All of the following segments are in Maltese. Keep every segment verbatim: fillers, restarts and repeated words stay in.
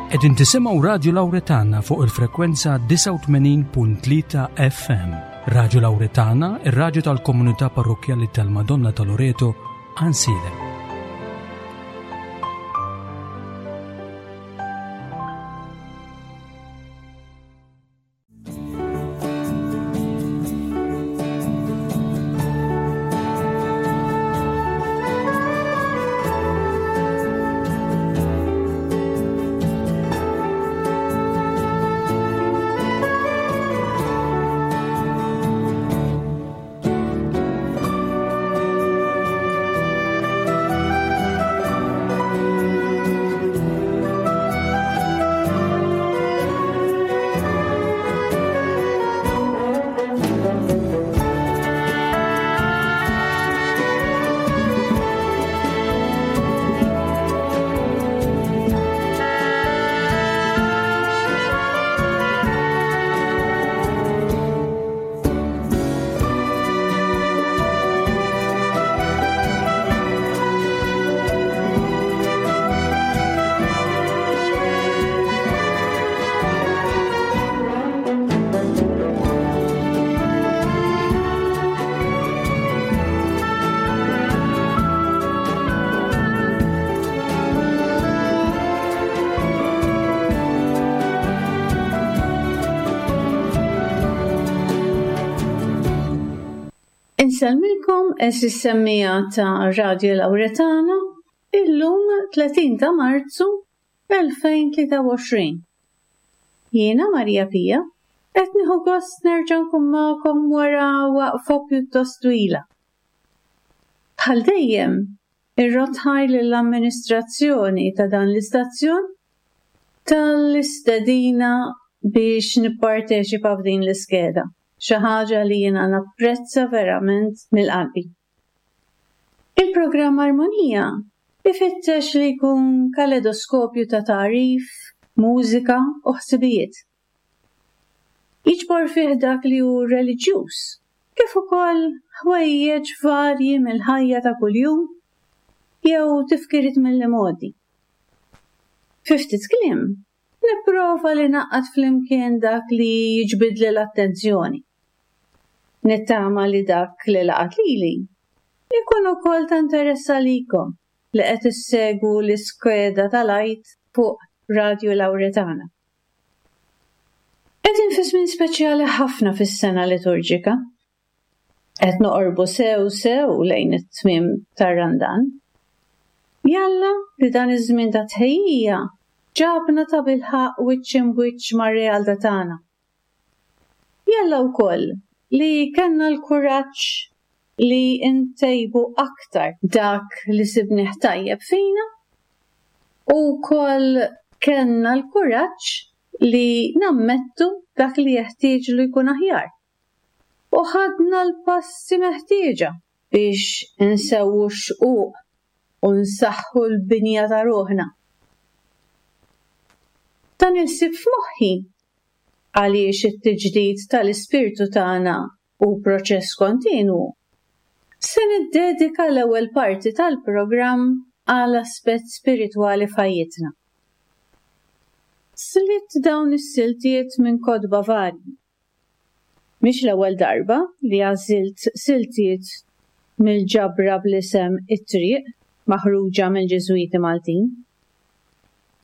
Qegħdin tisimgħu Radio Lauretana fuq il-frekwenza disgħa u tmenin punt tlieta F M. Radio Lauretana, ir-radju tal-Komunità Parrokkjali tal-Madonna ta' Loreto, Għajnsielem. Insellmilkom għeżież semmiegħa ta' Radio Lauretana illum tletin ta' Marzu elfejn tlieta u għoxrin. Jiena Maria Pia qed nieħu gost nerġa' nkun magħkom wara waqfa pjuttost twila. Bħal dejjem, irrotħaj lill-amministrazzjoni ta' dan l-istazzjon tal-istedina biex nipparteċipa f'din l-iskeda, xi ħaġa li jiena napprezza verament mill-qalbi. Il-programm Armonija ifittex li jkun kaleidoskopju ta' tagħrif, mużika u ħsibijiet. Jiġbor fih dak li hu reliġjuż, kif ukoll ħwejjeġ varji mill-ħajja ta' kuljum jew tifkiriet mill-imgħoddi. Fi ftit kliem, nipprova li naqqad flimkien dak li jiġbidli l-attenzjoni. Nittama li dak li laqat lili ikun ukoll ta' interess għalikom li qed issegwu l-iskeda tal-Għid fuq Radio Lauretana. Qegħdin fi żmien speċjali ħafna fis-sena liturġika. Qed noqorbu sew sew lejn it-tmiem tar-Randan. Jalla li dan iż-żmien ta' tħejjija ġabna ta' bilħaq wiċċ imbwiċċ mar-realtà tagħna. Jalla wkoll li kellna l-kuraġġ li ntejbu aktar dak li sibnieh tajjeb fina u wkoll kellna l-kuraġġ li nammettu dak li jeħtieġ li jkun aħjar. U ħadna l-passi meħtieġa biex insewwu x-xquq u nsaħħu l-binja ta' ruħna. Dan il-ħsieb f'moħħi għaliex it-tiġdid tal-ispirtu tagħna hu proċess kontinwu. Se niddedika l-ewwel parti tal-programm għal aspett spiritwali f'ħajjitna. Slitt dawn is-siltiet minn kotba varji. Mhix l-ewwel darba li għażilt siltiet mill-ġabra bl-isem It-Triq maħruġa mill-Ġiżwiti Maltin.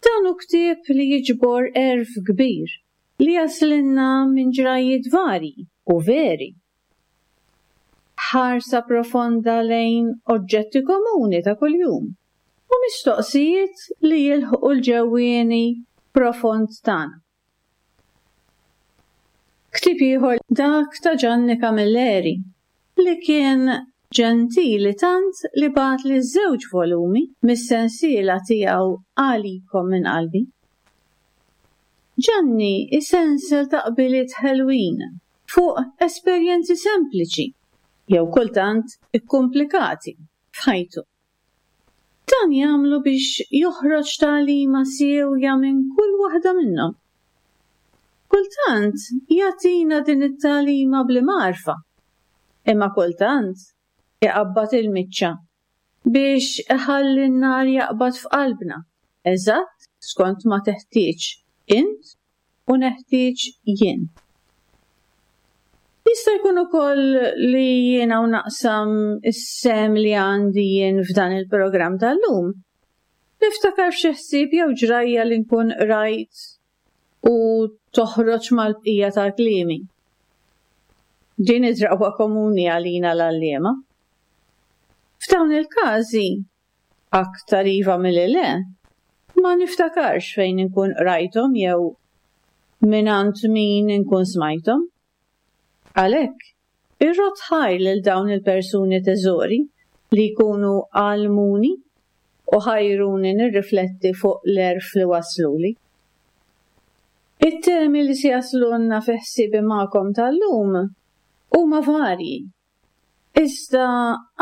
Dan hu ktieb li jiġbor għerf kbir li jaslinna minn ġrajiet varji u veri. Ħarsa profonda lejn oġġetti komuni ta' kuljum u mistoqsijiet li jilħqu l-ġewwieni profond tagħna. Ktieb ieħor dak ta' Gianni Camilleri li kien ġentili tant li bagħat li żewġ volumi mis-sensiela tiegħu Għalikom minn qalbi. Gianni isensel taqbiliet ħelwin fuq esperjenzi sempliċi jew kultant ikkumplikati f'ħajtu. Dan jagħmlu biex joħroġ tagħlima siewja minn kull waħda minnhom. Kultant jagħtina din it-tagħlima bl-imgħarfa, imma kultant iqabbad il-miċċa biex iħalli n-nar jaqbad f'qalbna Eżatt skont ma teħtieġ int u neħtieġ jien. Jista' jkun ukoll li jiena u naqsam is-sehem li għandi jien f'dan il-programm tal-lum. Niftakar f'xi ħsieb jew ġrajja li nkun qrajt u toħroġ mal-bqija tal-kliemi. Din id-drawwa komuni għalina l-għalliema. F'dawn il-każi, aktar iva milli le, ma niftakarx fejn inkun qrajthom jew mingħand min inkun smajthom. Għalhekk, irrodd ħajr lil dawn il-persuni teżori li jkunu għallmuni u ħajruni nirrifletti fuq l-għerf li wasluli. It-temi li se jaslulna fi ħsiebi magħkom tal-lum huma varji, iżda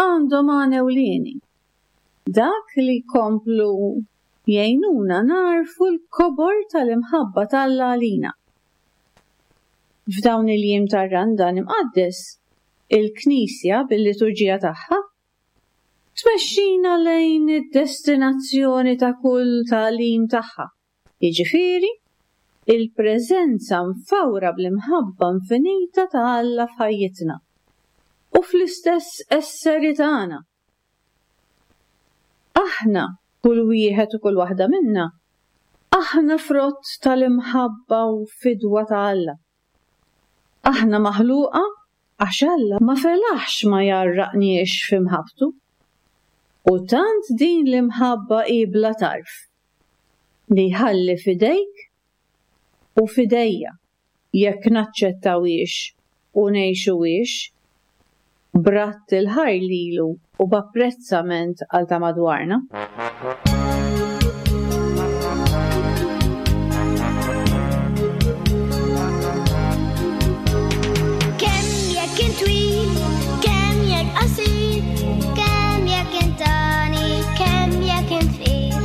għandhom għan ewlieni. Dak li jkomplu jgħinuna nagħrfu l-kobor tal-imħabba t'Alla għalina. F'dawn il-jiem tar-Randan imqaddes, il-Knisja bil-liturġija tagħha tmexxina lejn id-destinazzjoni ta' kull tagħlim tagħha, jiġifieri il-preżenza mfawra bl-imħabba infinita ta' Alla f'ħajjitna u fl-istess esseri tagħna. Aħna, kull wieħed u kull waħda minna, aħna frott tal-imħabba u fidwa ta' Alla. Aħna maħluqa għax Alla ma felaħx ma jgħarraqniex f'imħabbtu. U tant din l-imħabba hi bla tarf li jħalli f'idejk u f'idejja jekk naċċettawhiex u ngħixuhiex b'radd il-ħajr lilu u b'apprezzament għal ta' madwarna. Kemm jekk int twil, kemm jekk qasir, kemm jekk int għani, kemm jekk int fqir,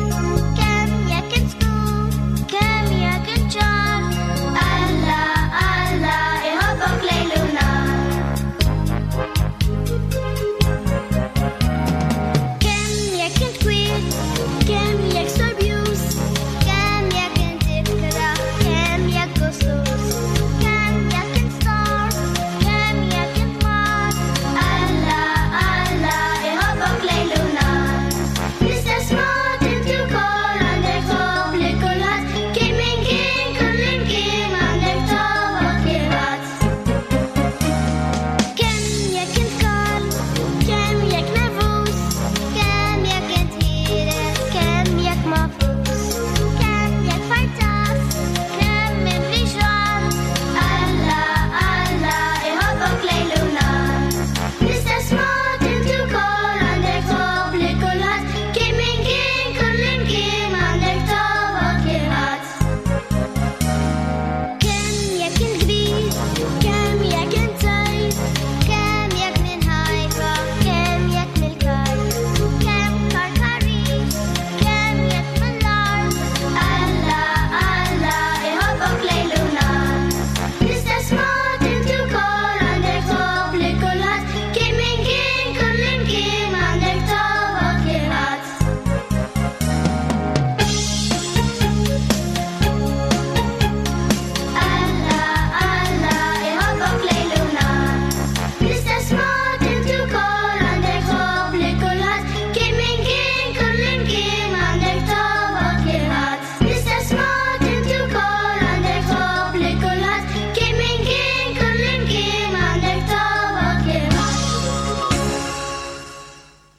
kemm jekk int skur, kemm jekk int ċar, Alla, Alla, iħobbok lejl u nhar. Kemm jekk int kwiet, kemm jekk storbjuż, kemm jekk int ikrah, kemm jekk gustuż, kemm jekk int stor, kemm jekk int mar, Alla, Alla, iħobbok lejl u nhar. L-istess mod inti wkoll għandek tħobb lil kulħadd, kien min kien kull imkien għandek tobgħod kulħadd. Kemm jekk int kalm, kemm jekk nervuż, kemm jekk int ħieles, kemm jekk mafus, kemm jekk fartas, kemm mimli xogħol, Alla, Alla, iħobbok lejl u nhar. L-istess mod inti wkoll għandek tħobb lil kulħadd, kien min kien kull imkien għandek tobgħod kulħadd. Kemm jekk int kbir, kemm jekk int żgħir, kemm jekk minn Ħajfa, kemm jekk mill-Kajr, kemm Karkaris, kemm jekk mill-art, Alla, Alla, iħobbok lejl u nhar. L-istess mod inti wkoll għandek tħobb lil kulħadd, kien min kien kull imkien għandek tobgħod kulħadd. Alla, Alla, iħobbok lejl u nhar. L-istess mod inti wkoll għandek tħobb lil kulħadd, kien min kien kull imkien għandek tobgħod kulħadd. L-istess mod inti wkoll għandek tħobb lil kulħadd, kien min kien kull imkien għandek tobgħod kulħadd.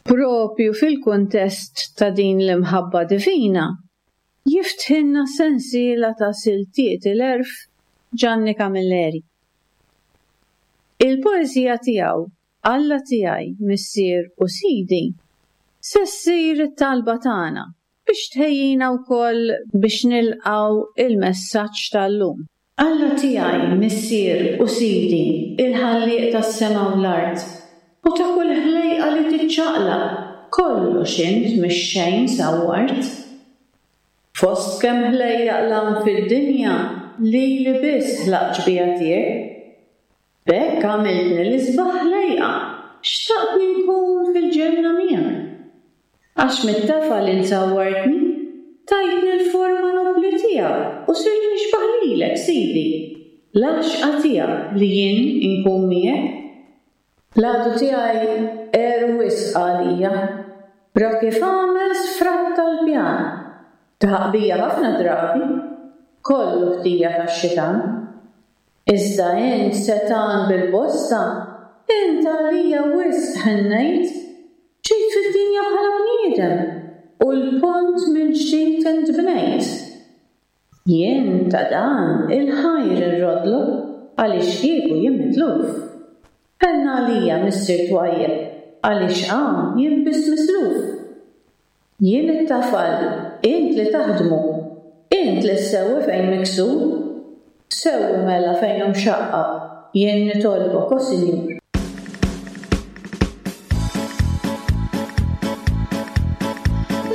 Propju fil-kuntest ta' din l-imħabba divina, jiftħilna sensiela ta' siltiet il-għerf Ġanni Camilleri. Il-poeżija tiegħu Alla tiegħi, Missier u Sidi, se ssir it-talba tagħna biex tħejjina wkoll biex nilqgħu il-messaġġ tal-lum. Alla tiegħi, Missier u Sidi, il-ħallieq tas-sema u l-art, u ta' kull ħlejqa li tiċċaqlaq, kollox int mix-xejn sawwart. Fost kemm ħlejjaq 'l hawn fid-dinja, lili biss ħlaqt xbieha tiegħek. B'hekk għamiltni l-isbaħ ħlejqa, xtaqtni nkun fil-ġenna miegħek. Għax mit-tafal int sawwartni, Tajtni l-forma nobbli tiegħek u sirt nixbah lilek, Sidi, l-għaxqa tiegħek li jien inkun miegħek. L-għadu tiegħi għer wisq għalija, ra kif għamel sfratta l-pjan. Daħaq bija ħafna drabi, kollu ħtija tax-xitan. Iżda int setgħan bil-bosta, int għalija wisq ħennejt, ġejt fid-dinja bħala bniedem u l-pont mill-ġdid int bnejt. Jien ta' dan il-ħajr irroddlok għaliex kieku jien mitluf. Ħenn għalija Missier twajjeb għaliex hawn jien biss misluf. Jien it-tafal, int li taħdmu, int li ssewwi fejn miksur. Sewwi mela fejn hu mxaqqaq, jien nitolbok, o Sinjur.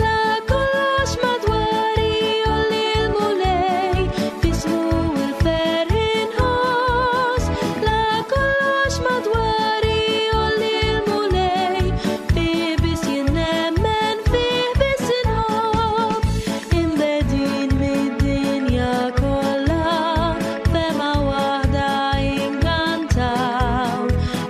La kollox madwari jgħolli l-Mulej, f'ismu l-ferħ inħoss. La kollox madwari jgħolli l-Mulej, fih biss jien nemmen, fih biss inħobb. Imbegħdin mid-dinja kollha, f'hema waħda inkantaw.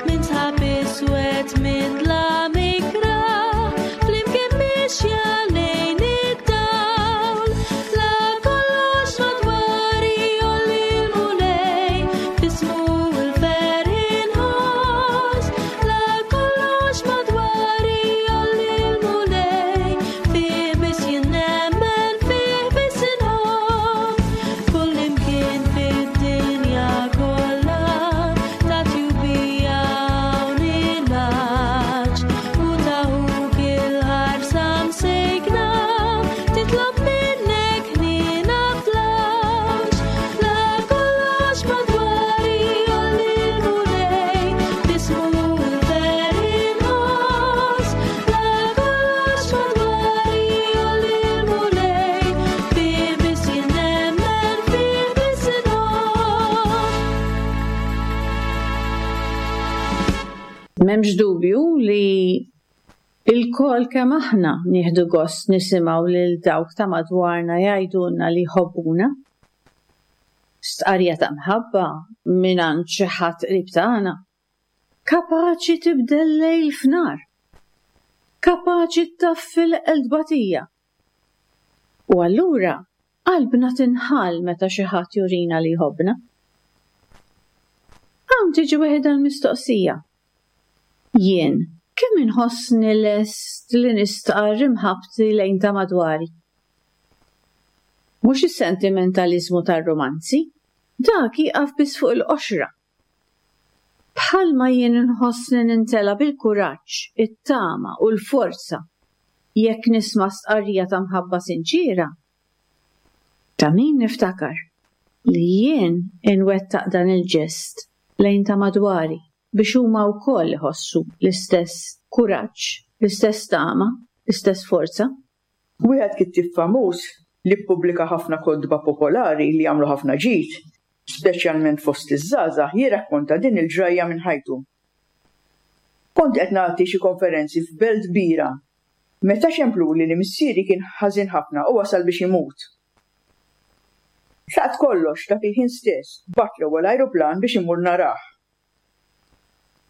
Minn sħab iswed, minn dlam ikrah, flimkien mixja lejn id-dawl. La kollox madwari jgħolli l-Mulej, f'ismu l-ferħ inħoss. La kollox madwari jgħolli l-Mulej, fih biss jien nemmen, fih biss inħobb. Kullimkien fid-dinja kollha, ta' tjubija hawn il-għatx, u ta' ħuk il-ħarsa msejkna, titlob minnek ħniena fl-għawġ. La kollox madwari jgħolli l-Mulej, f'ismu l-ferħ inħoss. La kollox madwari jgħolli l-Mulej, fih biss jien nemmen, fih biss inħobb. M'hemmx dubju li lkoll kemm aħna nieħdu gost nisimgħu lil dawk ta' madwarna jgħidulna li jħobbuna. Stqarrija ta' mħabba mingħand xi ħadd qrib tagħna. Kapaċi tibdel lejl f'nar. Kapaċi ttaffi l-eqel tbatija. U allura qalbna tinħall meta xi ħadd jurina li jħobbna. Hawn tiġi waħedha l-mistoqsija. Jien kemm inħossni lest li nistqarr imħabbti lejn ta' madwari? Mhux is-sentimentaliżmu tar-romanzi, dak jieqaf biss fuq il-qoxra. Bħalma jien inħossni nintela bil-kuraġġ, it-tama u l-forza jekk nisma' stqarrija ta' mħabba sinċiera. Ta' min niftakar li jien inwettaq dan il-ġest lejn ta' madwari biex huma wkoll iħossu l-istess kuraġġ, l-istess tama, l-istess forza. Wieħed kittieb famuż li ppubblika ħafna kotba popolari li jagħmlu ħafna ġid, speċjalment fost iż-żgħażagħ, jirrakkonta din il-ġrajja minn ħajtu. Kont qed nagħti xi konferenzi f'belt kbira meta ċempluli li missieri kien ħażin ħafna u wasal biex imut. Tlaqt kollox dak il-ħin stess, bgħatt l-ewwel ajruplan biex imur narah.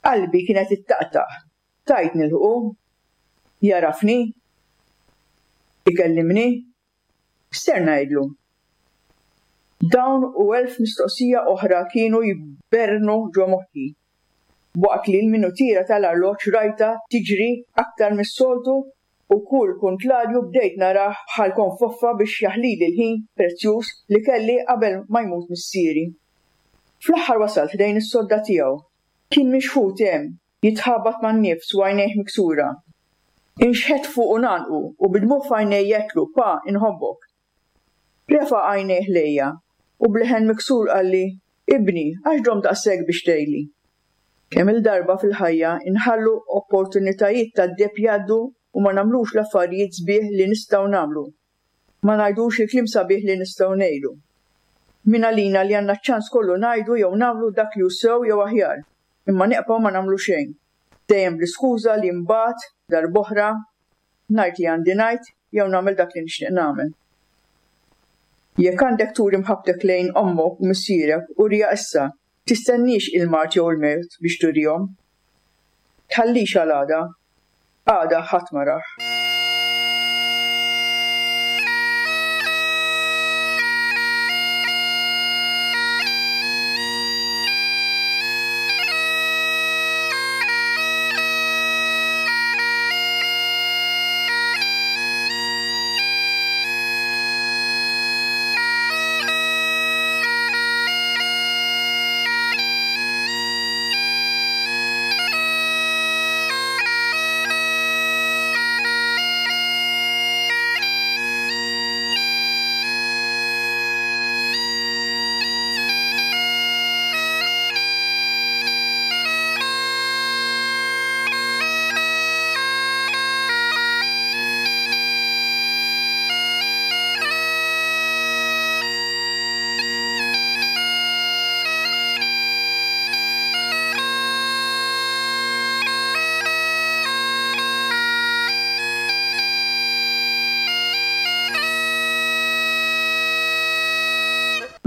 Qalbi kienet ittaqtaq, tajt nilħqu, jarafni, ikellimni, x'ser ngħidlu. Dawn u elf mistoqsija oħra kienu jbernu ġo moħħi, waqt li l-minutiera tal-arloġġ rajta tiġri aktar mis-soltu u kull kuntlarju bdejt narah bħal konfoffa biex jaħlili l-ħin prezzjuż li kelli qabel ma jmut missieri. Fl-aħħar wasalt ħdejn is-sodda tiegħu. Kien mixħut hemm, jitħabat man-nifs u għajnejh miksura. Inxħet fuq u nanqu u bid-dmugħ f'għajnejh għedtlu, Pa, inħobbok. Refa' għajnejh lejja u b'leħen miksur qalli, Ibni, għax domt daqshekk biex tgħidli. Kemm il-darba fil-ħajja inħallu opportunitajiet tad-deheb jgħaddu u ma nagħmlux l-affarijiet sbieħ li nistgħu nagħmlu. Ma ngħidux il-kliem sabiħ li nistgħu ngħidu. Min għalina li għandna ċ-ċans kollu ngħidu jew nagħmlu dak li hu sew jew aħjar, imma neqgħu ma nagħmlu xejn. Dejjem bl-iskuża li mbagħad darb'oħra ngħid li għandi ngħid jew nagħmel dak li nixtieq nagħmel. Jekk għandek turi mħabbtek lejn ommok u missierek, uriha issa, tistenniex il-mard jew il-mewt biex turihom. Tħallix għal għada, għada ħadd ma rah.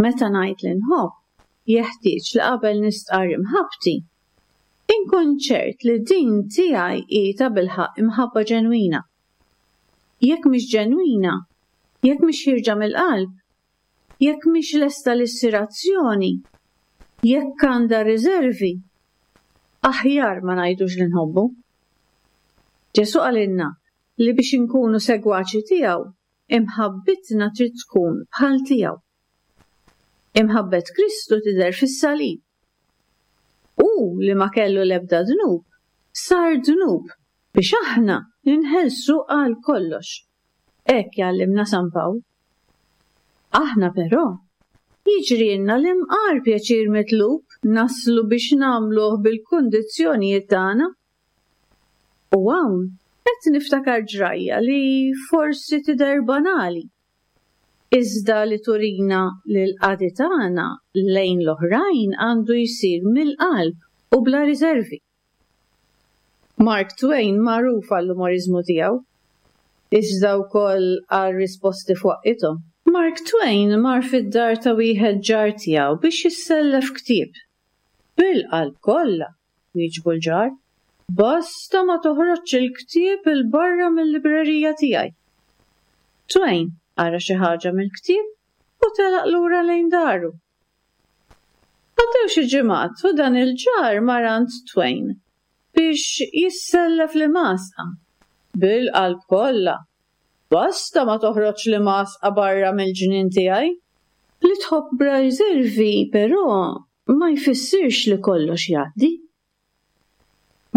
Meta ngħid li nħobb, jeħtieġ li qabel nistqarr imħabbti, inkun ċert li din tiegħi hi tabilħaqq imħabba ġenwina. Jekk mhix ġenwina, jekk mhix ħierġa mill-qalb, jekk mhix lesta li ssir azzjoni, jekk għandha riservi, aħjar ma ngħidux li nħobbu. Ġesù qalilna li biex inkunu segwaċi tiegħu, imħabbitna trid tkun bħal tiegħu. Imħabbet Kristu tidher fis-salib. Hu li ma kellu l-ebda dnub, sar dnub biex aħna ninħelsu għal kollox. Hekk jgħallimna San Pawl. Aħna però jiġrilna li mqar pjaċir mitlub naslu biex nagħmluh bil-kundizzjonijiet tagħna. U hawn qed niftakar ġrajja li forsi tidher banali, iżda li turina li l-qadi tagħna lejn l-oħrajn għandu jsir mill-qalb u bla riservi. Mark Twain magħruf għall-umoriżmu tiegħu, iżda wkoll għal risposti f'waqithom. Mark Twain mar fid-dar ta' wieħed ġar tiegħu biex jissellef ktieb. Bil-qalb kollha, wieġbu l-ġar, basta ma toħroġx il-ktieb 'il barra mill-librerija tiegħi. Twain qara xi ħaġa mill-ktieb u telaq lura lejn daru. Għaddew xi ġimgħat u dan il-ġar mar għand Twain biex jissellef l-imgħasqa. Bil-qalb kollha, basta ma toħroġ l-imgħasqa barra mill-ġnien tiegħi. Li tħobb bla riservi però ma jfissirx li kollox jgħaddi.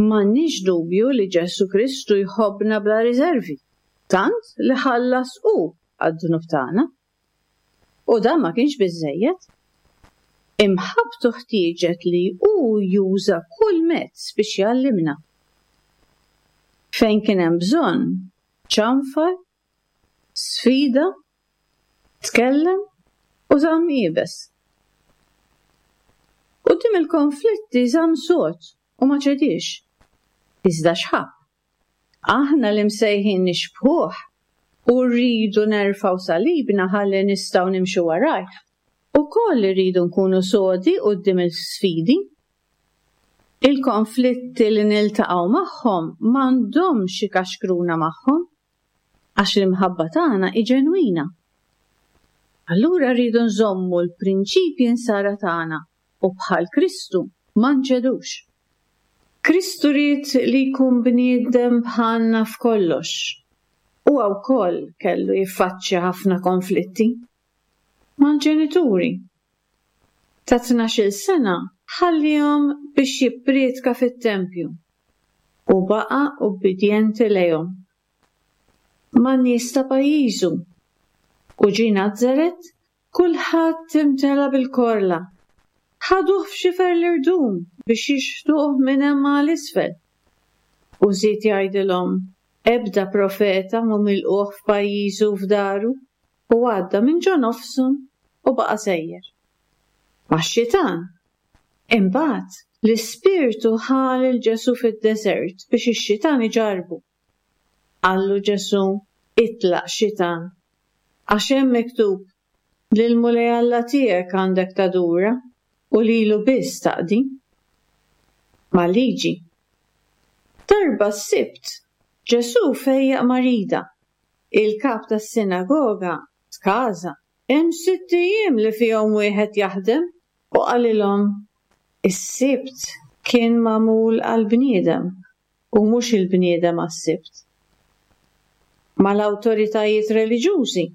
M'għandniex dubju li Ġesù Kristu jħobbna bla riservi, tant li ħallas hu għad-dnub tagħna. U dan ma kienx biżżejjed. Imħabbtu ħtieġet li hu juża kull mezz biex jgħallimna. Fejn kien hemm bżonn, ċanfar, sfida, tkellem u żamm iebes. Quddiem il-konflitti żamm sod u ma ċedix. Iżda x'ħabb? Aħna li msejħin nixbħuh u rridu nerfgħu salibna ħalli nistgħu nimxu warajh. Ukoll irridu nkunu sodi quddiem il-sfidi. Il-konflitti li niltaqgħu magħhom m'għandhomx ikaxkruna magħhom, għax l-imħabba tagħna hi ġenwina. Allura rridu nżommu l-prinċipji nsara tagħna u bħal Kristu ma nċedux. Kristu ried li jkun bniedem bħalna f'kollox. Huwa wkoll kellu jiffaċċja ħafna konflitti mal-ġenituri. Ta' tnax-il sena ħallihom biex jipprietka fit-tempju u baqa' ubbidjenti lejhom. Man-nies ta' pajjiżu u ġie Nazaret, kulħadd imtela bil-korla. Ħaduh f'xifer l-irdum biex jixħtuh minn hemm għal isfel. U żied jgħidilhom, ebda profeta mhu milquh f'pajjiżu u f'daru, u għadda minn ġo nofshom u baqa' sejjer. Max-xitan. Imbagħad l-Ispirtu ħa lil Ġesù fid-deżert biex ix-xitan iġarrbu. Qallu Ġesù, itlaq xitan, għax hemm miktub, Lill-Mulej Alla tiegħek għandek tadura u lilu biss taqdi. Mal-liġi. Darba s-Sibt, Ġesù fejjaq marida. Il-kap tas-sinagoga tkaża. Hemm sitt ijiem li fihom wieħed jaħdem u qalilhom is-Sibt kien magħmul għall-bniedem u mhux il-bniedem għas-Sibt. Mal-awtoritajiet reliġjużi.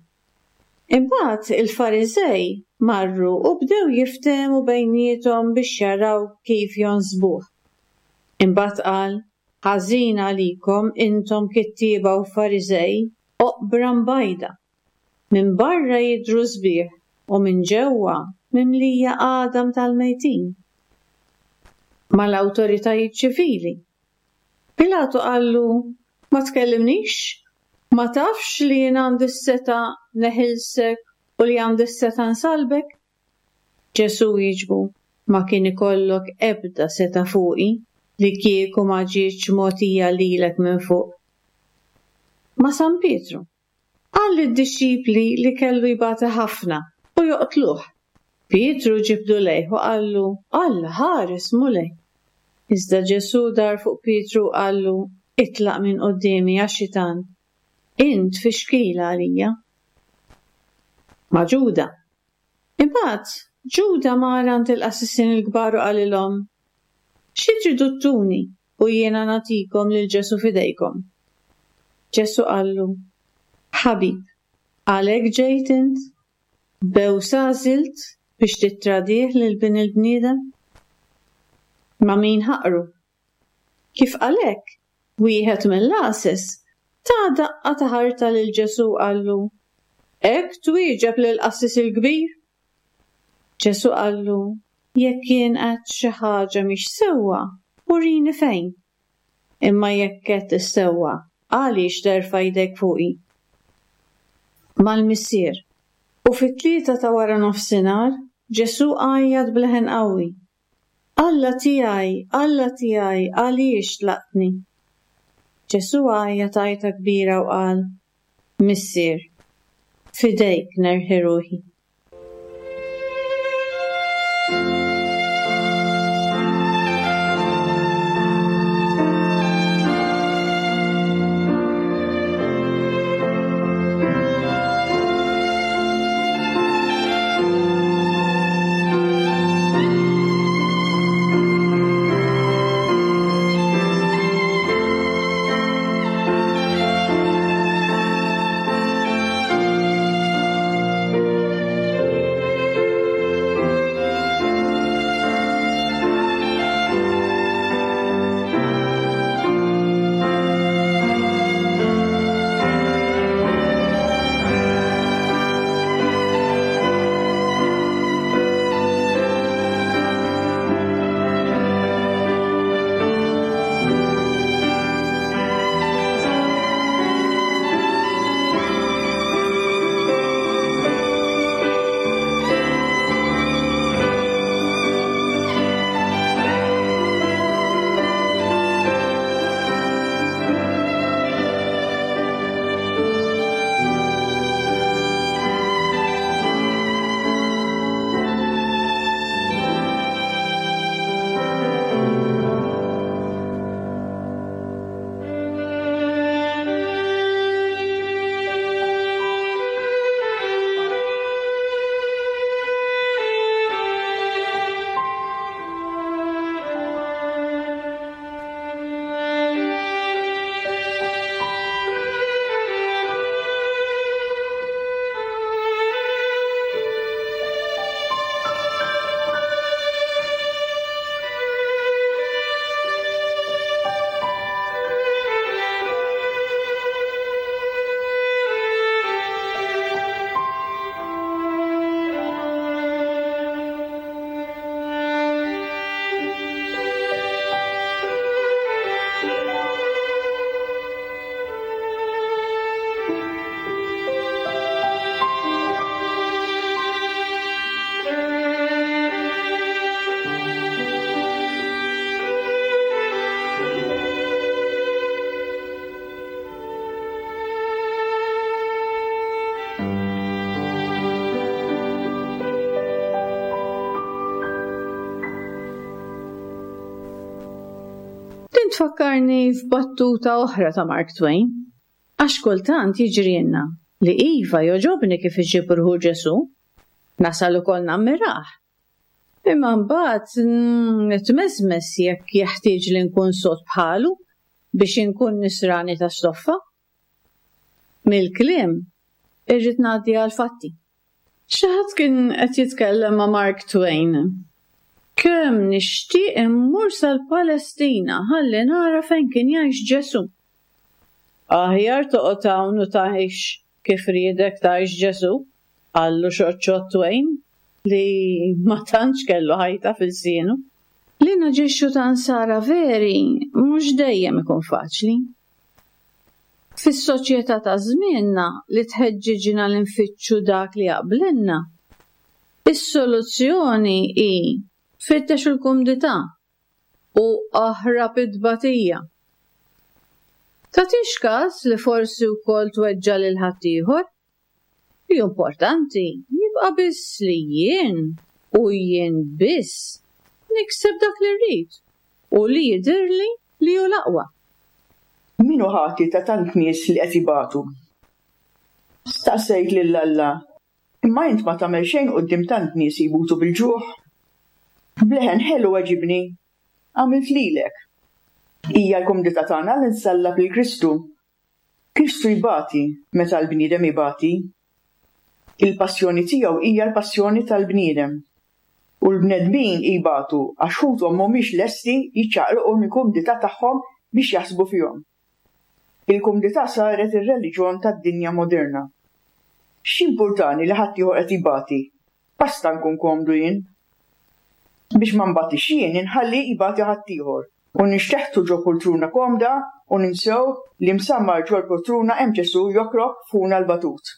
Imbagħad il-Fariżej marru u bdew jiftehmu bejniethom biex jaraw kif jonsbuh. Imbagħad qal, ħażin għalikom intom kittieba u Fariżej, oqbra mbajda. Minn barra jidhru sbieħ u minn ġewwa mimlija għadam tal-mejtin. Mal-awtoritajiet ċivili. Pilatu qallu, ma tkellimnix? Ma tafx li jien għandi s-setgħa neħilsek u li għandi s-setgħa nsalbek? Ġesù wieġbu, ma kien ikollok ebda setgħa fuqi li kieku ma ġietx mogħtija lilek minn fuq. Ma' San Pietru. Qal lid-dixxipli li kellu jbati ħafna u joqtluh. Pietru ġibdu lejh u qallu, Alla ħares Mulej. Iżda Ġesù dar fuq Pietru u qallu, itlaq minn quddiemi ja xitan. Int tfixkila għalija. Ma' Ġuda. Imbagħad Ġuda mar għand il-qassisin il-kbar u qalilhom, xi tridu ttuni u jiena nagħtikom lil Ġesù f'idejkom? Ġesù qallu, ħabib, għalhekk ġejt int? Bewsa għażilt biex tittradih lil bin il-bniedem? Ma' min ħaqru? Kif qalek, wieħed mill-għases ta daqqa ta' ħarta lil Ġesù qallu, hekk twieġeb lill-qassis il-kbir? Ġesù qallu, jekk jien għedt xi ħaġa mhix sewwa, urini fejn. Imma jekk għedt is-sewwa, għaliex terfa' jdek fuqi? Mal-Missier. U fit-tlieta ta' wara nofsinhar, Ġesù għajjat b'leħen qawwi. Alla tiegħi, Alla tiegħi, għaliex tlaqtni? Ġesù għajjat għajta kbira u qal, Missier, f'idejk nerħi ruħi. Din tfakkarni f'battuta oħra ta' Mark Twain. Għax kultant jiġrilna li iva jogħġobni kif iġib ruħu Ġesù, nasal ukoll nammirah. Imma mbagħad nitmeżmeż jekk jeħtieġ li nkun sod bħalu biex inkun nisrani ta' stoffa. Mill-kliem irrid ngħaddi għal fatti. Xi ħadd kien qed jitkellem ma' Mark Twain. Kemm nixtieq immur sal-Palestina ħalli nara fejn kien jgħix Ġesù. Aħjar toqgħod hawn u tgħix kif riedek tgħix Ġesù, qallu xoċċot Twain li ma tantx kellu ħajta fil-sienu. Li naġixxu ta' nsara veri mhux dejjem ikun faċli. Fis-soċjetà ta' żmienna li tħeġġiġna li nfittxu dak li jaqblilna, is-soluzzjoni hi fittex il-kumdità u aħrab it-tbatija. Tagħtix każ li forsi wkoll tweġġa' lil ħaddieħor? Li importanti jibqa' biss li jien u jien biss nikseb dak li rrid u li jidhirli li hu l-aqwa. Min hu ħati ta' tant nies li qed jibatu? Staqsejt lil Alla, imma int ma tagħmel xejn quddiem tant nies jmutu bil-ġuħ? Bleħen ħelu weġibni, għamilt lilek. Hija l-kumdità tagħna li nsallab lil Kristu. Kristu jbati meta l-bniedem ibati. Il-passjoni tiegħu hija l-passjoni tal-bniedem. U l-bnedmin jibatu għax ħuthom mhumiex lesti jiċċaqilqu mill-kumdità tagħhom biex jaħsbu fihom. Il-kumdità saret ir-reliġjon tad-dinja moderna. X'importani li ħaddieħor qed jibati? Basta nkun komdu jien. Biex ma nbatix jien inħalli jbati ħaddieħor u nixteħtu ġo poltruna komda u ninsew li msammar ġol poltruna hemm Ġesù jokrob funa l-batut.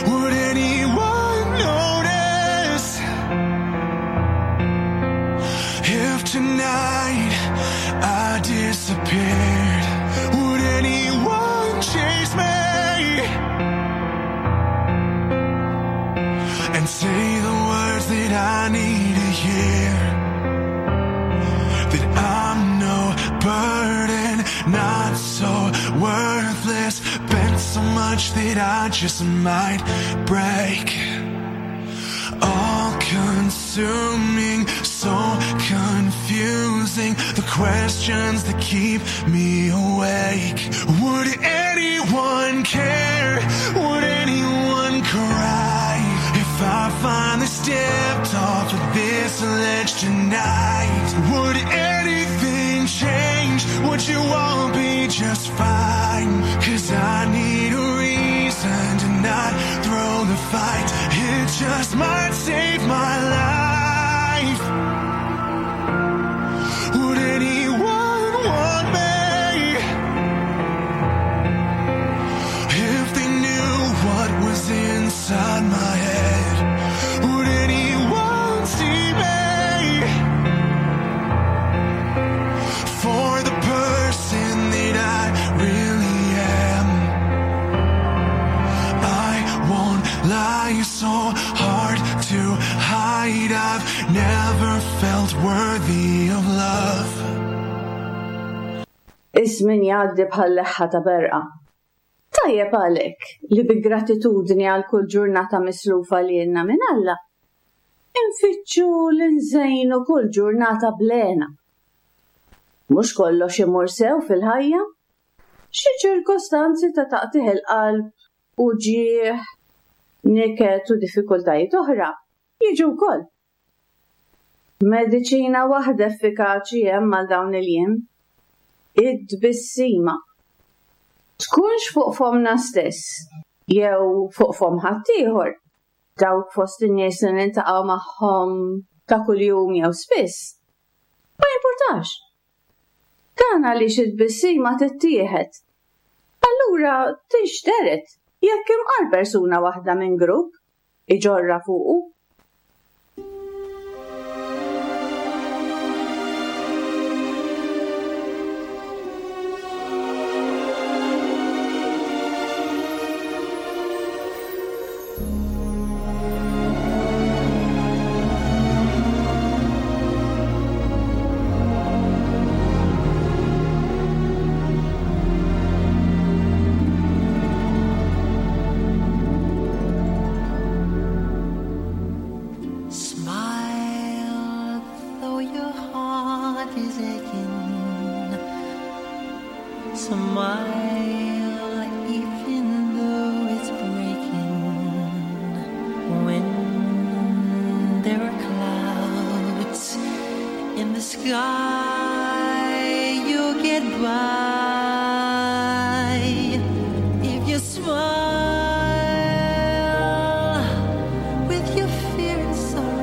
Would anyone notice if tonight I disappeared? Would anyone chase me and say the words that I need to hear? That I'm no burden, not so worthless, bent so much that I just might break. All consuming, so confusing, the questions that keep me awake. Would anyone care? Would anyone cry if I finally stepped off of this ledge tonight? Would anything change? Would you all be just fine? 'Cause I need a reason to not throw the fight. It just might save my life. Would anyone want me if they knew what was inside my head? Would anyone see me for the person that I really am? I won't lie, so hard to hide. I've never felt worthy of love. Iż-żmien jgħaddi bħal leħħa ta' berqa. Tajjeb għalhekk li bi gratitudni għal kull ġurnata mislufa li jenna minn Alla, infittxu li nżejnu kull ġurnata blena. Mhux kollox imur sew fil-ħajja, xi ċirkostanzi ta' taqtigħ il-qalb, uġigħ, niket u diffikultajiet oħra jiġu wkoll. Mediċina waħda effikaċi hemm għal dawn il-jiem, id-tbissima. Tkunx fuq fomna stess, jew fuq fom ħaddieħor, dawk fost in-nies li niltaqgħu magħhom ta' kuljum jew spiss. Ma jimpurtax. Dan għaliex it-tbissima tittieħed. Allura tinxteret jekk imqar persuna waħda minn grupp iġorra fuqu. your heart is aching, smile even though it's breaking. When there are clouds in the sky, you'll get by if you smile with your fear and sorrow.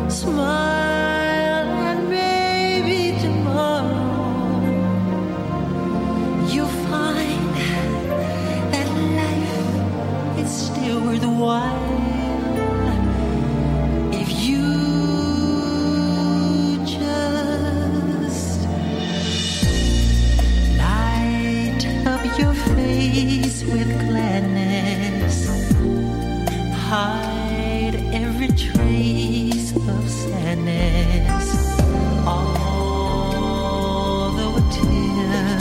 Smile and maybe tomorrow you'll find that life is still worthwhile if you just light up your face with gladness, hide every trace of sadness. Although a tear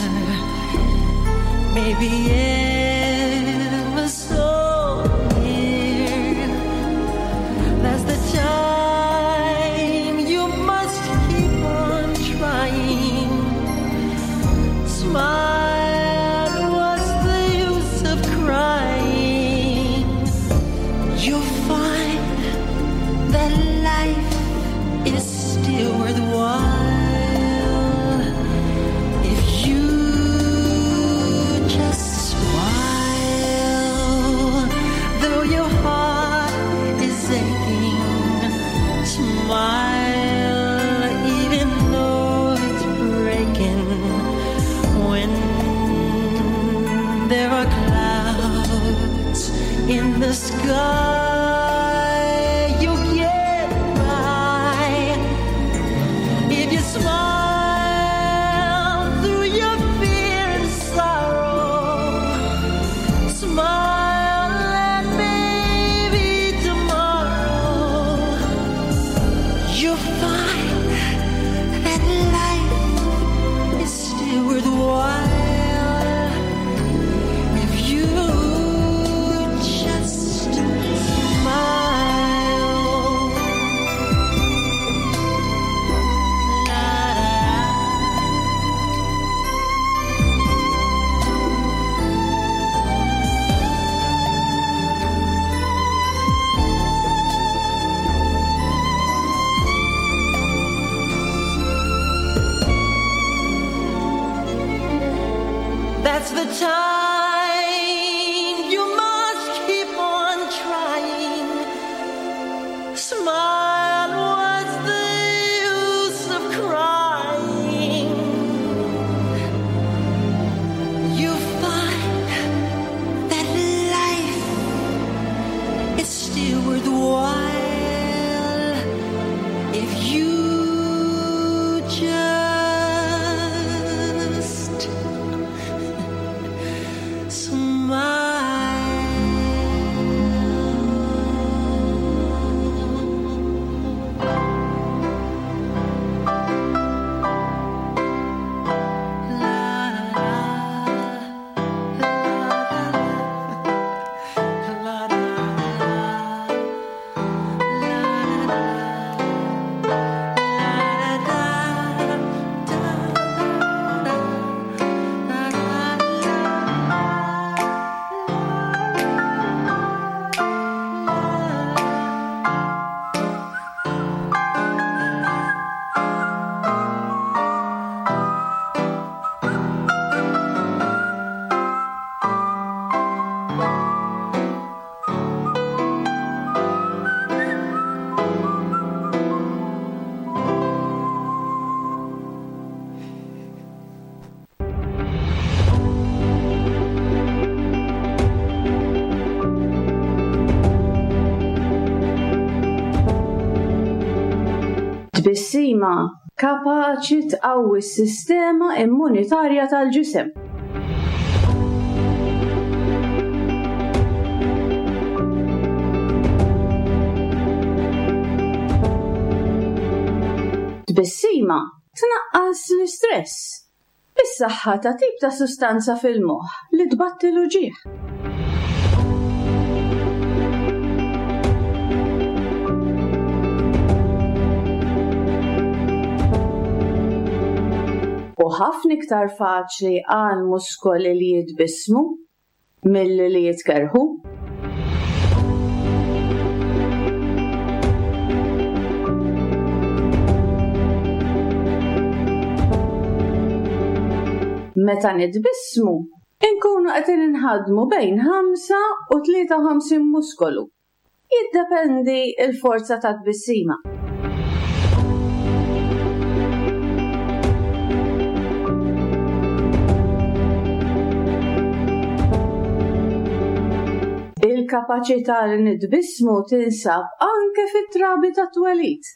may be ever so near, that's the time you must keep on trying. Smile, what's the use of crying? You'll find that life is still worthwhile if you just smile. Though your heart is aching, smile even though it's breaking. When there are clouds in the sky, you'll get by if you smile through your fear and sorrow. Smile and maybe tomorrow you'll find that life is still worthwhile if you just smile. La da. That's the time you must keep on trying. Smile, what's the use of crying? You find that life is still worthwhile if you just Tbissima kapaċi tqawwi s-sistema immunitarja tal-ġisem. Tbissima tnaqqas l-istress bis-saħħa ta' tip ta' sustanza fil-moħħ li tbatti l-uġigħ. ħafna iktar faċli għal muskoli li jitbissmu milli li jitkerrħu. Meta nitbissmu, inkunu qed inħaddmu bejn ħamsa u tlieta u ħamsin muskolu. Jiddependi l-forza ta' tbissima. Il-kapaċità li nitbissmu tinsab anke fit-trabi ta' twelid.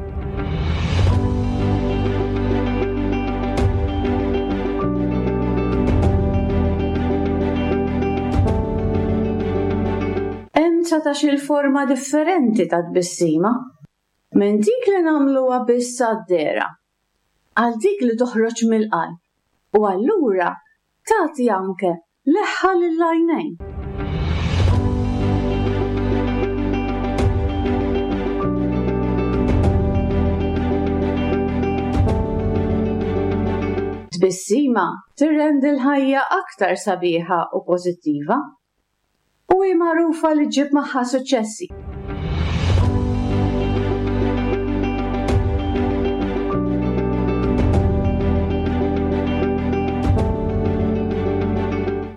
Hemm dsatax-il forma differenti ta' tbissima, minn dik li nagħmluha biss għad-dehra, għal dik li toħroġ mill-qalb u allura tagħti anke leħħa lill-għajnejn. Tbissima tirrendi l-ħajja aktar sabiħa u pożittiva u hi magħrufa li ġġib magħha suċċessi.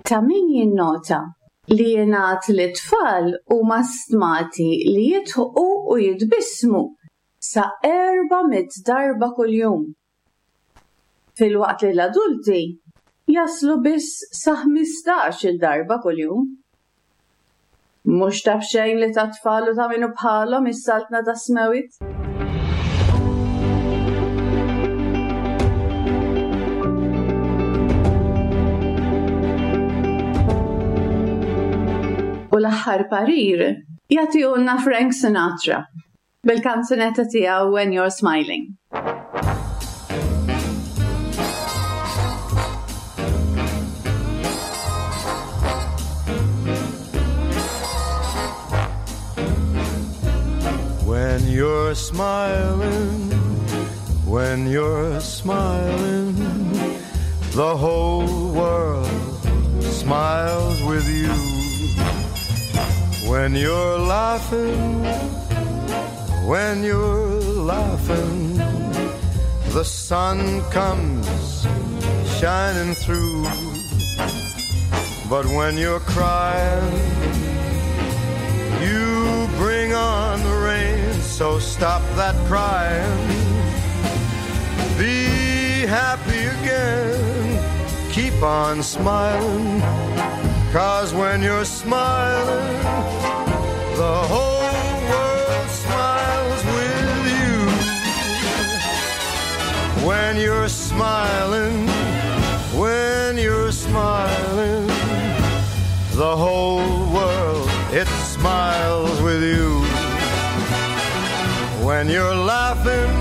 Ta' min jinnota li jingħad li t-tfal huma stmati li jidħqu u jitbissmu sa erba' mitt darba kuljum, filwaqt li l-adulti jaslu biss sa ħmistax-il darba kuljum. Mhux ta' b'xejn li ta' tfal u ta' minnu bħalhom is-saltna tas-smewwiet. U l-aħħar parir jagħtihulna Frank Sinatra bil-kanzunetta tiegħu When You're Smiling. When you're smiling, when you're smiling, the whole world smiles with you. When you're laughing, when you're laughing, the sun comes shining through. But when you're crying, you bring on the rain. So stop that crying. Be happy again. Keep on smiling. 'Cause when you're smiling, the whole world smiles with you. When you're smiling, when you're smiling, the whole world, it smiles with you. When you're laughing,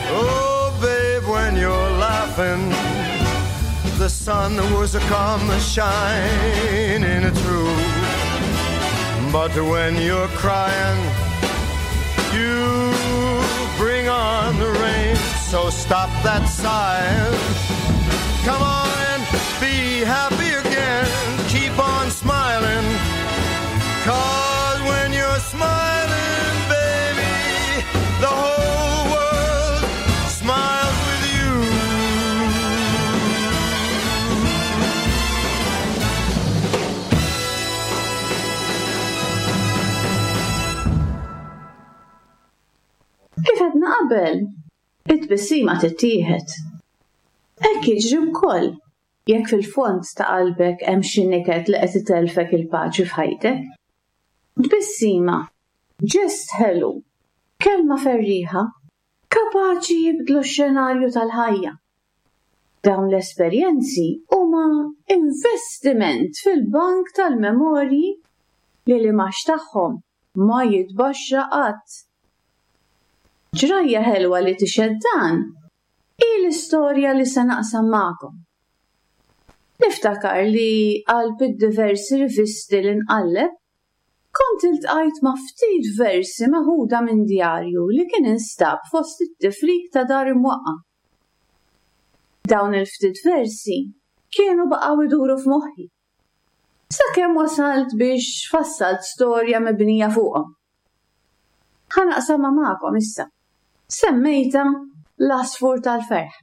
oh babe, when you're laughing, the sun was a come shining through. But when you're crying, you bring on the rain. So stop that sighing. Come on and be happy again. Keep on smiling. 'Cause when you're smiling, baby, the whole world smiles with you. Kif għedna qabel, it-tbissima tittieħed. Hekk jiġri wkoll jekk fil-fond ta' qalbek hemm xi niket li qed itelfek il-paċi f'ħajtek. Tbissima, ġest ħelu, kelma ferriħa, kapaċi jibdlu x-xenarju tal-ħajja. Dawn l-esperjenzi huma investiment fil-bank tal-memorji li l-imax tagħhom ma jitbaxxa qatt. Ġrajja ħelwa li tixhed dan hi l-istorja li se naqsam magħkom. Niftakar li qalb id-diversi rivisti li nqalleb, kont iltqajt ma' ftit versi meħuda minn djarju li kien instab fost it-tifrik ta' dar imwaqqa'. Dawn il-ftit versi kienu baqgħu iduru f'moħħi. Sakemm wasalt biex fassalt storja mibnija fuqhom. Ħa naqsamha magħkom issa. Semmejta l-għasfur tal-ferħ.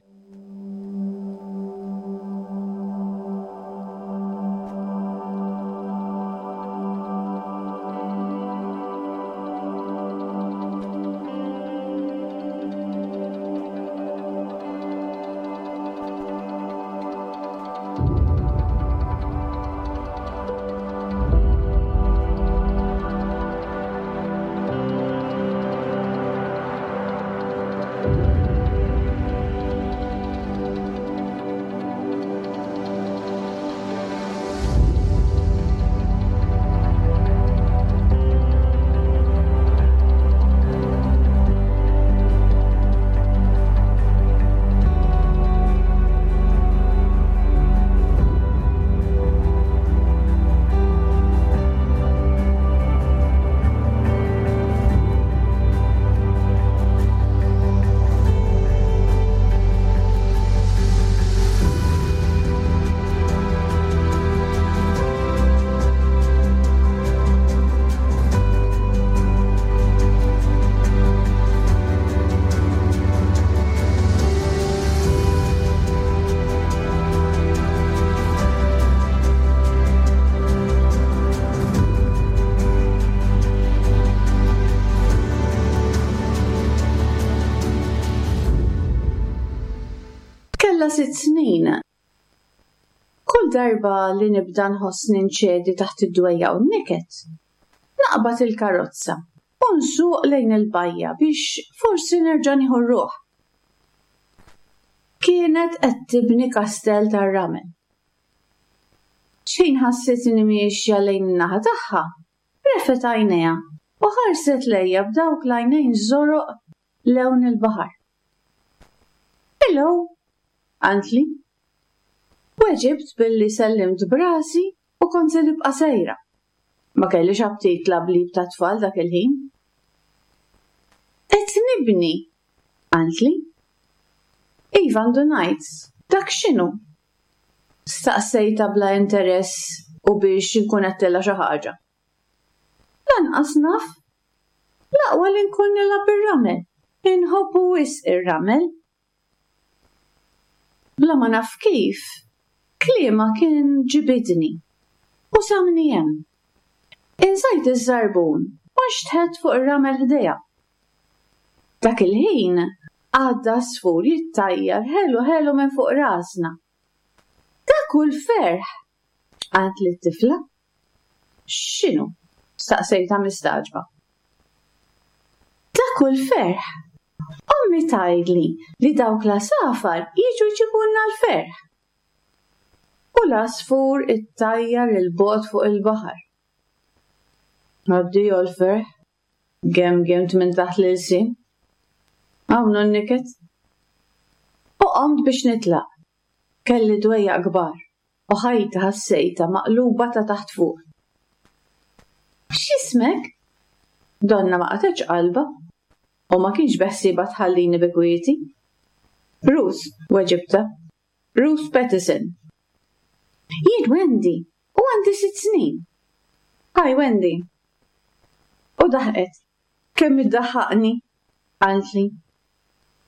Kellha sitt snin. Kull darba li nibda nħossni nċedi taħt id-dwejja u n-niket, naqbad il-karozza u nsuq lejn il-bajja biex forsi nerġa' nieħu r-ruħ. Kienet qed tibni kastell tar-ramel. X'ħin ħassitni miexja lejn in-naħa tagħha, refet għajnejha u ħarset lejja b'dawk l-għajnejn żoroq lewn il-baħar. Hello, qaltli. Weġibt billi sellimt brasi u kont se nibqa' sejra. Ma kellix aptit lablib ta' tfal dak il-ħin. Qed nibni, qaltli. Iva ndunajt, dak x'inhu? Staqsejta bla interess u biex inkun għedtilha xi ħaġa. Lanqas naf. L-aqwa li nkun nilgħab ir-ramel. Inħobbu wisq ir-ramel. Bla ma naf kif, kliemha kien ġibidni u samni hemm. Inżajt iż-żarbun u nxtħet fuq ir-ramel ħdejha. Dak il-ħin għadda għasfur jittajjar ħelu ħelu minn fuq rasna. Dak hu l-ferħ, qaltli t-tifla. X'inhu? Staqsejtha mistagħġba. Dak hu l-ferħ. Ommi tgħidli li dawk l-għasafar jiġu jġibulna l-ferħ. U l-għasfur ittajjar il-bogħod fuq il-baħar. Addio l-ferħ, gemgemt minn taħt l-ilsien. Hawn hu n-niket. U qomt biex nitlaq. Kelli dwejjaq kbar u ħajti ħassejtha maqluba ta' taħt fuq. X'ismek? Donna ma qatgħetx qalbha u ma kienx beħsiebha tħallini bi kwieti. Ruth, weġibta. Ruth Pattison. Jien Wendy u għandi sitt snin. Hi Wendy. U daħqet. Kemm iddaħħaqni, qaltli.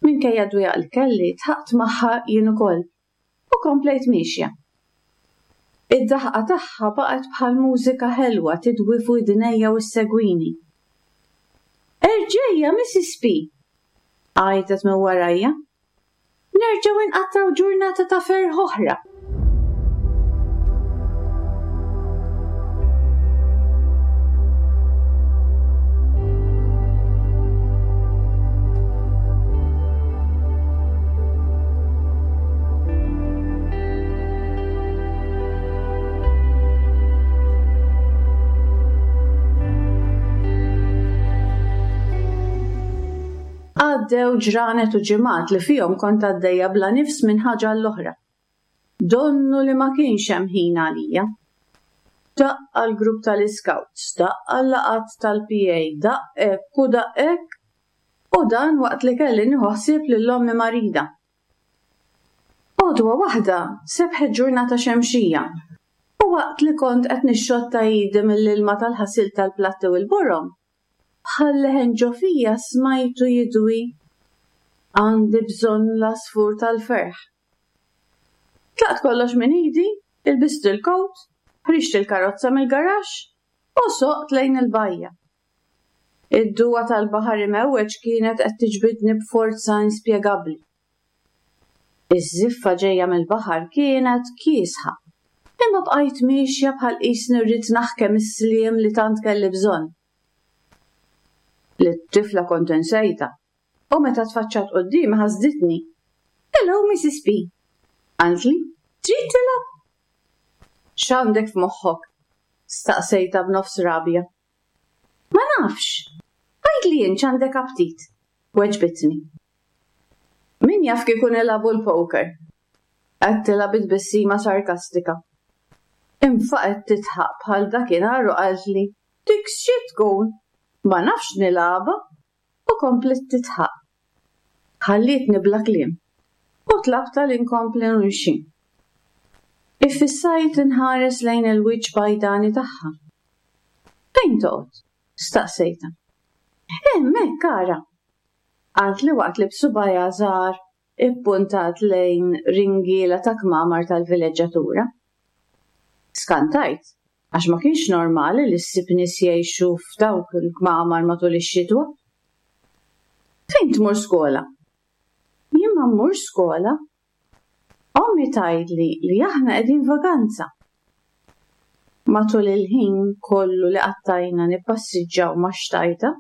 Minkejja dwejjaq li kelli, dħaqt magħha jien ukoll u komplejt miexja. Id-daħqa tagħha baqgħet bħal mużika ħelwa tidwi fuq idnejja u ssegwini. Erġejja, Missus P! Għajtet minn warajja. Nerġgħu inqattgħu ġurnata ta' ferħ oħra. Għaddew ġranet u ġimgħat li fihom kont għaddejja bla nifs minn ħaġa l-oħra. Donnu li ma kienx hemm ħin għalija. Daqqa l-grupp tal-Scouts, daqqa l-laqat tal-P A, daqq hekk u daqq hekk, u dan waqt li kelli nieħu ħsieb lil ommi marida. U Għodwa waħda sebħet ġurnata xemxija u waqt li kont qed nixxotta idi mill-ilma tal-ħasil tal-platti u l-borom, bħal leħen ġo fija smajtu jidwi għandi bżonn l-għasfur tal-ferħ. Tlaqt kollox minn idi, ilbist il-kowt, ħriġt il-karozza mill-garaxx u soqt lejn il-bajja. Id-duwa tal-baħar imewweġ kienet qed tiġbidni b'forza inspjegabbli. Iż-żiffa ġejja mill-baħar kienet kiesħa, imma bqajt miexja bħal qisni rrid naħkem is-sliem li tant kelli bżonn. Lit-tifla kont insejtha u meta tfaċċat quddiemi ħasditni. Hello, Missus P. Qaltli, trid tilgħab? X'għandek f'moħħok? Staqsejtha b'nofs rabja. Ma nafx. Għidli int x'għandek aptit, weġbitni. Min jaf kieku nilagħbu l-poker? Għedtilha bi tbissima sarkastika. Infaqgħet tidħaq bħal dakinhar u qaltli, dik xi tkun? Ma nafx nilgħabha u kompliet tidħaq. Ħallietni bla kliem u tlabtha li nkompli nimxi. Iffissajt inħares lejn il-wiċċ bajdani tagħha. Fejn toqgħod? Staqsejtha. Hemmhekk ara. Qaltli waqt li b'subgħajha żgħar ippuntat lejn ringiela ta' kmamar tal-vileġġatura. Skantajt, għax ma kienx normali li ssib nies jgħixu f'dawk il-kmamar matul ix-xitwa. Fejn tmur skola? Jien ma mmurx skola. Ommi tgħidli li aħna qegħdin vaganza. Matul il-ħin kollu li qattajna nippassiġġaw ma' xtajta,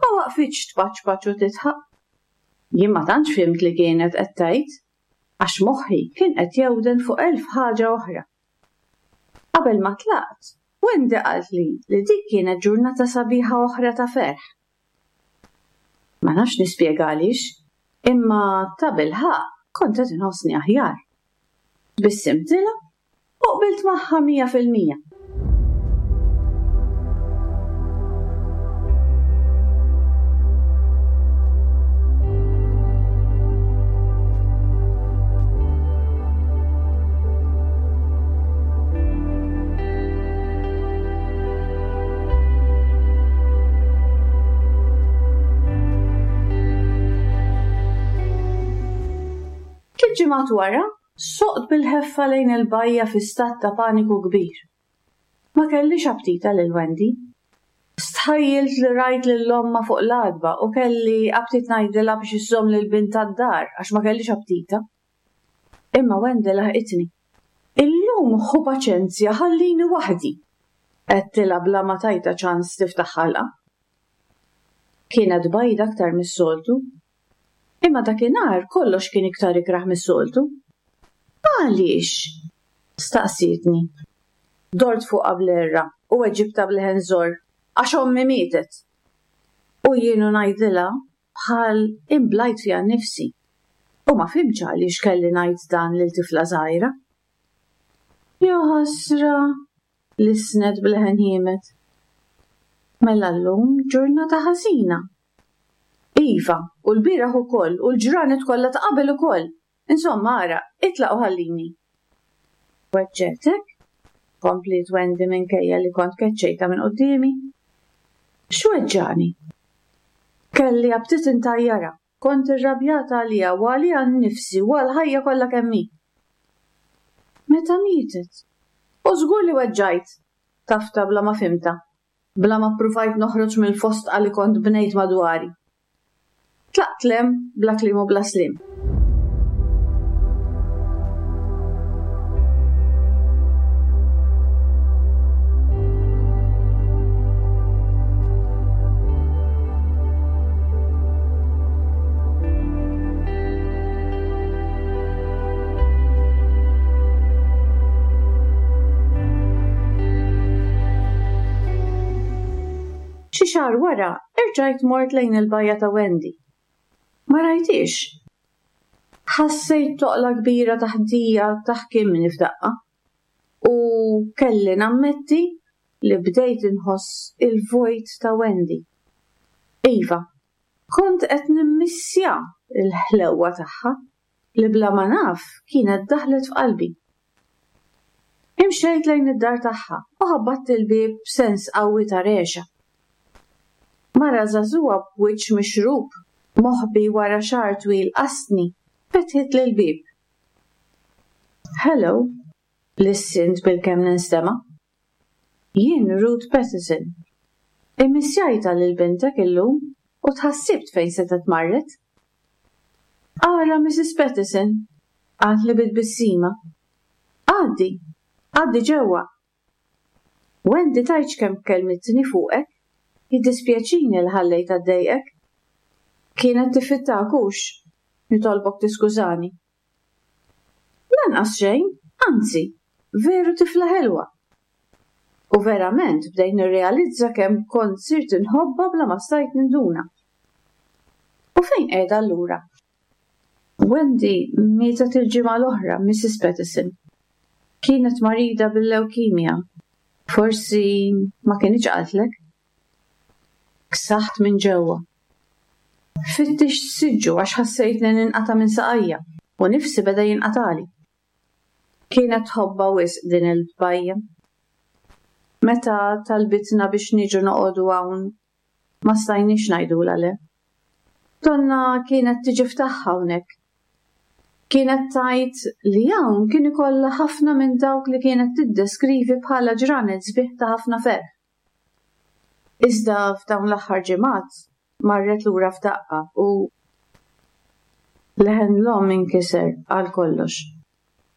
ma waqfitx tpaċpaċ u tidħaq. Jien ma tantx fhimt li kienet qed tgħid, għax moħħi kien qed jewden fuq elf ħaġa oħra. Qabel ma tlaqt, Wendy qaltli li dik kienet ġurnata sabiħa oħra ta' ferħ. Ma nafx nispjega għaliex, imma ta' bilħaqq kont qed inħossni aħjar. Tbissimtilha u qbilt magħha mija fil-mija. Tliet ġimgħat wara, soqt bil-ħeffa lejn il-bajja fi stat ta' paniku kbir. Ma kellix aptita lil Wendy. Stħajjilt li rajt lil omma fuq l-għatba u kelli aptit ngħidilha biex iżżomm lil bint tad-dar għax ma kellix aptita. Imma Wendy laħqitni. Illum ħu paċenzja ħallini waħdi. Għedtilha bla ma tajta ċans tiftaħ ħalqa. Kienet bajda aktar mis-soltu. Imma dakinhar kollox kien iktar ikrah mis-soltu. Għaliex? Staqsietni. Dort fuqha bl-erra u weġibtha b'leħen żorr għax ommi mietet. U jienu ngħidilha bħal imblajt fiha nnifsi. U ma fhimtx għaliex kelli ngħid dan lil tifla żgħira. Ja ħasra, lisnet b'leħen ħiemed. Mela llum ġurnata ħażina. Iva, u l-bieraħ ukoll, u l-ġranet kollha ta' qabel ukoll. Insomma, ara, itlaq u ħallini. Weġġetek? Kompliet Wendy minkejja li kont keċċejta minn quddiemi. X'weġġani? Kelli aptit intajjara, kont irrabjata għalija u għalija nnifsi u għall-ħajja kollha kemm hi. Meta mietet? U żgur li weġġajt, tafta bla ma fimta, bla ma ppruvajt noħroġ mill-fostqa li kont bnejt madwari. Tlaqt lem bla kliem u bla sliem. Xi xahar wara, irġajt mort lejn il-bajja ta' Wendy. Ma rajtix. Ħassejt toqla kbira taħdija taħkimni f'daqqa u kelli nammetti li bdejt inħoss il-vojt ta' Wendy. Iva, kont qed nimmissja l-ħlewwa tagħha. li bla ma naf kienet daħlet f'qalbi. Imxejt lejn id-dar tagħha u ħabbatt il-bieb b'sens qawwi ta' regħxa. Mara żagħżugħa b'wiċċ mixrub, moħbi wara xagħar twil qasni, fetħitli l-bieb. Hello, lissint bilkemm ninstema'. Jien Ruth Pattison. Immissjajtha lil bintek illum u tħassibt fejn setgħet marret. Ara Missus Pattison, qaltli bi tbissima. Għaddi, għaddi ġewwa. Wendy tgħidx kemm kellmitni fuqek, jiddispjaċini li ħallejtha ddejqek. Kienet tifittak hux, nitolbok tiskużani. Lanqas xejn, anzi, veru tifla ħelwa. U verament bdejt nirrealizza kemm kont sirt inħobbha bla ma stajt ninduna. U fejn qiegħda allura? Wendy mietet il-ġimgħa l-oħra, Missus Pattison. Kienet marida bil-lewkimja. Forsi ma kinitx qaltlek. Ksaħt minn ġewwa. Fittixt siġġu għax ħassejtni ninqata' minn saqajja u nifsi beda jinqatali. Kienet tħobbha wisq din il-tbajja. Meta talbitna biex niġu noqogħdu hawn, ma stajniex ngħidulha le. Donna kienet tiġi f'tagħha hawnhekk. Kienet tgħid li hawn kien ikollha ħafna minn dawk li kienet tiddeskrivi bħala ġranet sbieħ ta' ħafna ferħ. Iżda f'dawn l-aħħar ġimgħat marret lura f'daqqa u leħen l-omm inkiser għal kollox.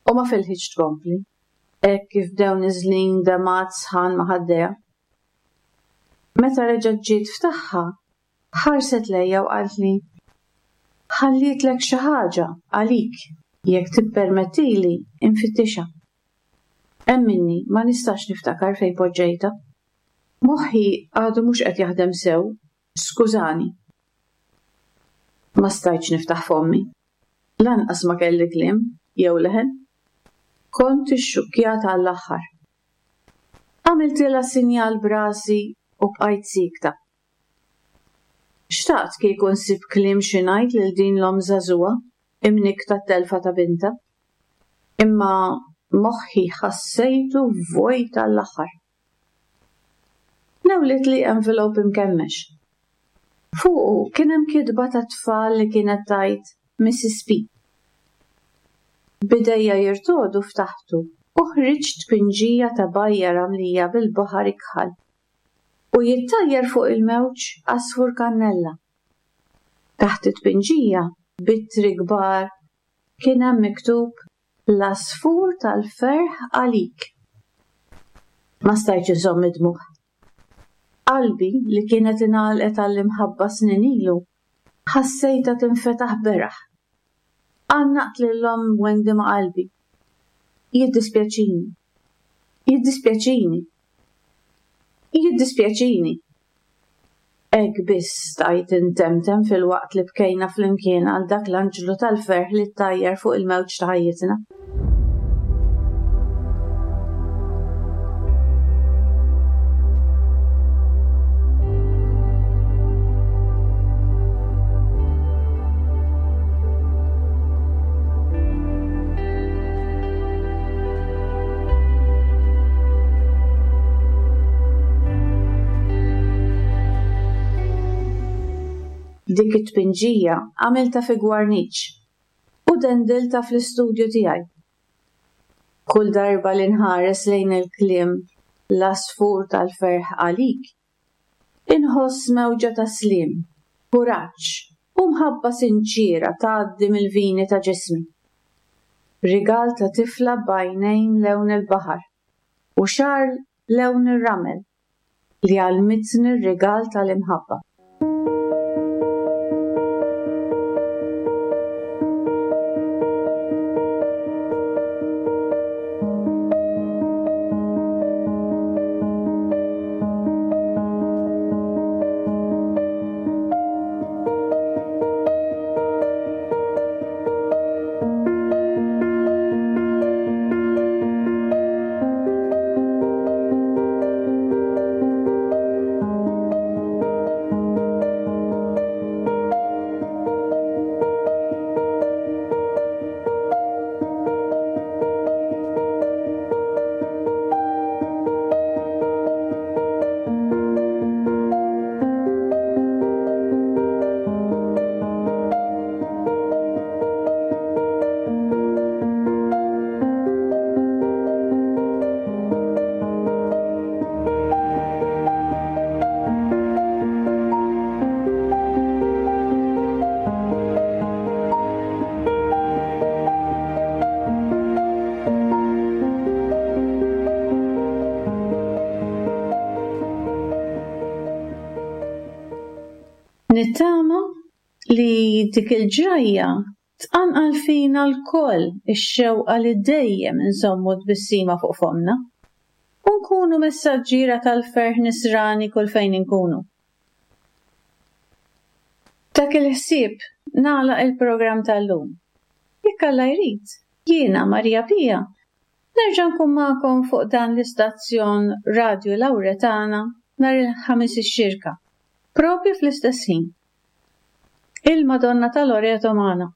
U ma filħitx tkompli, hekk kif bdew niżlin demgħat sħan ma' ħaddejha. Meta reġgħet ġiet f'tagħha, ħarset lejja u qaltli, ħallietlek xi ħaġa għalik jekk tippermettili infittixha. Emminni ma nistax niftakar fejn poġġejtha. Moħħi għadu mhux qed jaħdem sew, skużani. Ma stajtx niftaħ fommi. Lanqas ma kelli kliem jew leħen. Kont ixxukkjata għall-aħħar. Għamiltilha sinjal b'rasi u bqajt siekta. Xtaqt kieku nsib kliem xi ngħid lil din l-omm żagħżugħa imnikta t-telfa ta' binta. Imma moħħi ħassejtu vojt għall-aħħar. Newlitli envelope imkemmex. Fuqu kien hemm kitba ta' tfal li kienet tgħid Missus P. Bidejja jirtodu ftaħtu u ħriġt tpinġija ta' bajja ramlija bil-baħar ikħal u jittajjar fuq il-mewġ għasfur kannella. Taħt it-tpinġija b'ittri kbar kien hemm miktub l-għasfur tal-ferħ għalik. Ma stajtx inżomm id-dmugħ. Qalbi li kienet ingħalqet għall-imħabba snin ilu ħassejtha tinfetaħ beraħ. Għannaqt lil omm Wendy ma' qalbi. Jiddispjaċini. Jiddispjaċini. Jiddispjaċini. Hekk biss stajt intemtem fil-waqt li bkejna flimkien għal dak l-anġlu tal-ferħ li ttajjar fuq il-mewġ ta' ħajjitna. Dik it-tpinġija għamilta fi gwarniċ u dendilta fl-istudju tiegħi. Kull darba li nħares lejn il-kliem l-għasfur tal-ferħ għalik, inħoss mewġa ta' sliem, kuraġġ u mħabba sinċiera tgħaddi mill-vini ta' ġismi. Rigal ta' tifla b'għajnejn lewn il-baħar u xagħar lewn ir-ramel li għalmitni r-rigal tal-imħabba. dik il-ġrajja tqanqal fina lkoll ix-xewqa li dejjem inżommu tbissima fuq fommna u nkunu messaġġiera tal-ferħ nisrani kull fejn inkunu. B'dak il-ħsieb nagħlaq il-programm tal-lum. Jekk Alla jrid, jiena Maria Pia nerġa' nkun magħkom fuq dan l-istazzjon Radju Lawretana nhar il-Ħamis ix-Xirka, propju fl-istess ħin. Il-Madonna ta' Loreto magħna.